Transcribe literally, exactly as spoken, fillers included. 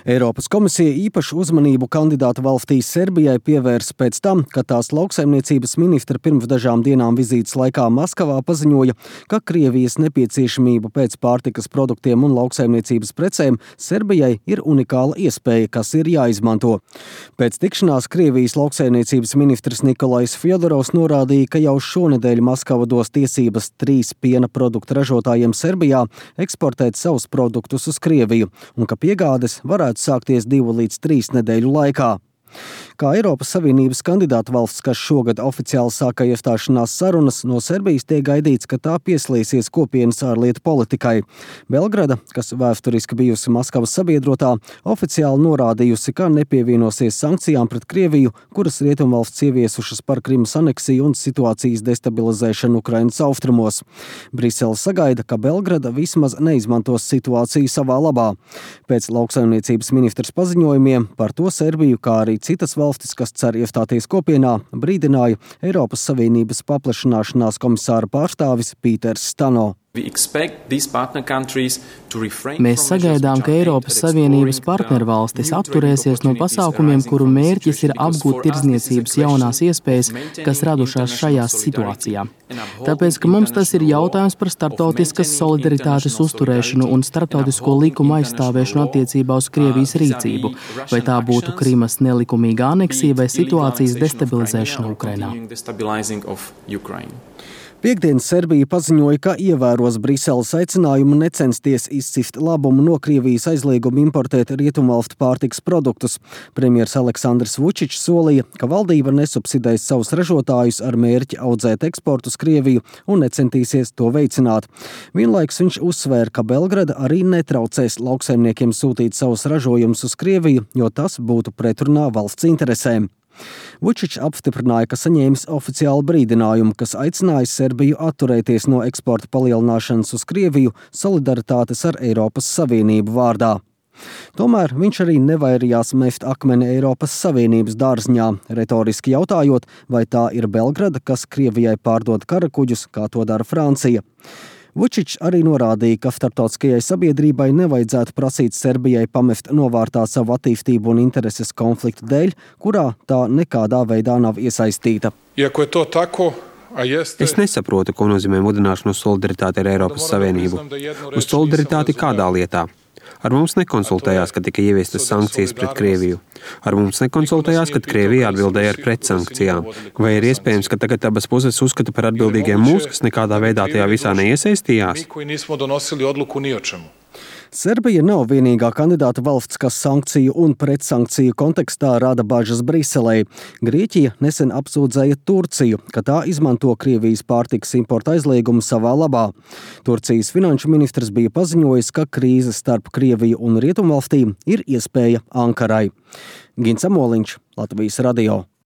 Eiropas komisija īpašu uzmanību kandidātu valstī Serbijai pievērsa pēc tam, ka tās lauksaimniecības ministra pirms dažām dienām vizītes laikā Maskavā paziņoja, ka Krievijas nepieciešamība pēc pārtikas produktiem un lauksaimniecības precēm Serbijai ir unikāla iespēja, kas ir jāizmanto. Pēc tikšanās Krievijas lauksaimniecības ministrs Nikolais Fjodorovs norādīja, ka jau šonedēļ Maskava dos tiesības trīs piena produktu ražotājiem Serbijā eksportēt savus produktus uz Krieviju un ka piegādes varētu sākties divu līdz trīs nedēļu laikā. Kā Eiropas Savienības kandidātu valsts, kas šogad oficiāli sāka iestāšanās sarunas, no Serbijas tiek gaidīts, ka tā pieslēgsies kopienas ārlietu politikai. Belgrada, kas vēsturiski bijusi Maskavas sabiedrotā, oficiāli norādījusi, ka nepievienosies sankcijām pret Krieviju, kuras rietumvalsts ieviesušas par Krimas aneksiju un situācijas destabilizēšanu Ukrainas austrumos. Brisele sagaida, ka Belgrada vismaz neizmantos situāciju savā labā. Pēc lauksaimniecības ministrs paziņojumiem par to Serbiju, kā arī citas valstis, kas cer iestāties kopienā, brīdināja Eiropas Savienības paplašināšanās komisāra pārstāvis Pīters Stano. Mēs sagaidām, ka Eiropas Savienības partnervalstis atturēsies no pasākumiem, kuru mērķis ir apgūt tirdzniecības jaunās iespējas, kas radušās šajā situācijā. Tāpēc, ka mums tas ir jautājums par starptautiskas solidaritātes uzturēšanu un starptautisko likumu aizstāvēšanu attiecībā uz Krievijas rīcību, vai tā būtu Krimas nelikumīga aneksija vai situācijas destabilizēšana Ukrainā. Piektdien Serbija paziņoja, ka ievēros Briseles aicinājumu necensties izcist labumu no Krievijas aizlieguma importēt rietumvalstu pārtikas produktus. Premjers Aleksandrs Vučičs solīja, ka valdība nesubsidēs savus ražotājus ar mērķi audzēt eksportu uz Krieviju un necentīsies to veicināt. Vienlaikus viņš uzsvēra, ka Belgrada arī netraucēs lauksaimniekiem sūtīt savus ražojumus uz Krieviju, jo tas būtu pretrunā valsts interesēm. Vučičs apstiprināja, ka saņēmis oficiālu brīdinājumu, kas aicināja Serbiju atturēties no eksporta palielināšanas uz Krieviju solidaritātes ar Eiropas Savienību vārdā. Tomēr viņš arī nevairījās mest akmeni Eiropas Savienības dārzņā, retoriski jautājot, vai tā ir Belgrada, kas Krievijai pārdod karakuģus, kā to dara Francija. Vučičs arī norādīja, ka starptautiskajai sabiedrībai nevajadzētu prasīt Serbijai pamest novārtā savu attīstību un intereses konfliktu dēļ, kurā tā nekādā veidā nav iesaistīta. Es nesaprotu, ko nozīmē mudināšanu uz solidaritāti ar Eiropas Savienību. Uz solidaritāti kādā lietā? Ar mums nekonsultējās, kad tika ieviestas sankcijas pret Krieviju. Ar mums nekonsultējās, kad Krievija atbildēja ar pretsankcijām. Vai ir iespējams, ka tagad abas puses uzskata par atbildīgiem mūs, kas nekādā veidā tajā visā neiesaistījās? Serbija nav vienīgā kandidāta valsts, kas sankciju un pretsankciju kontekstā rada bažas Briselei. Grieķija nesen apsūdzēja Turciju, ka tā izmanto Krievijas pārtikas importa aizliegumu savā labā. Turcijas finanšu ministrs bija paziņojis, ka krīze starp Krieviju un Rietumvalstīm ir iespēja Ankarai. Gins Amoliņš, Latvijas radio.